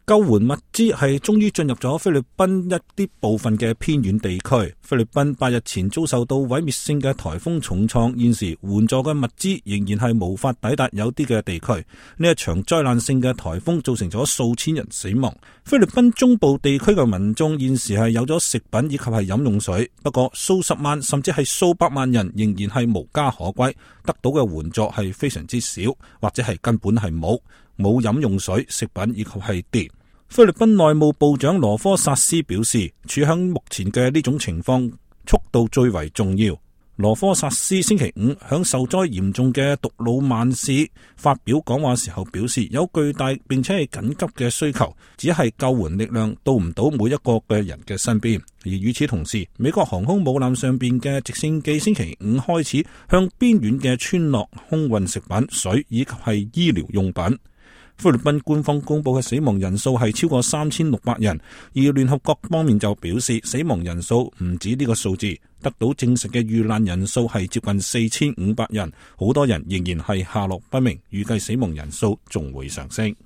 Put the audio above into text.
救援物資係終於進入咗菲律賓一啲部分嘅偏遠地區。菲律賓8日前遭受到毀滅性嘅颱風重創，現時援助嘅物資仍然係無法抵達有啲嘅地區。呢一場災難性嘅颱風造成咗數千人死亡。菲律賓中部地區嘅民眾現時係有咗食品以及係飲用水，不過數十萬甚至係數百萬人仍然係無家可歸，得到嘅援助係非常之少，或者係根本係冇飲用水、食品以及係電。菲律賓內務部長羅科薩斯表示，處響目前嘅呢種情況，速度最為重要。羅科薩斯星期五響受災嚴重嘅獨魯曼市發表講話時候表示，有巨大並且係緊急嘅需求，只係救援力量到唔到每一個嘅人嘅身邊。而與此同時，美國航空母艦上邊嘅直升機星期五開始向邊遠嘅村落空運食品、水以及係醫療用品。菲律賓官方公布嘅死亡人數係超過3600人，而聯合國方面就表示死亡人數唔止呢個數字，得到證實嘅遇難人數係接近4500人，好多人仍然係下落不明，預計死亡人數仲會上升。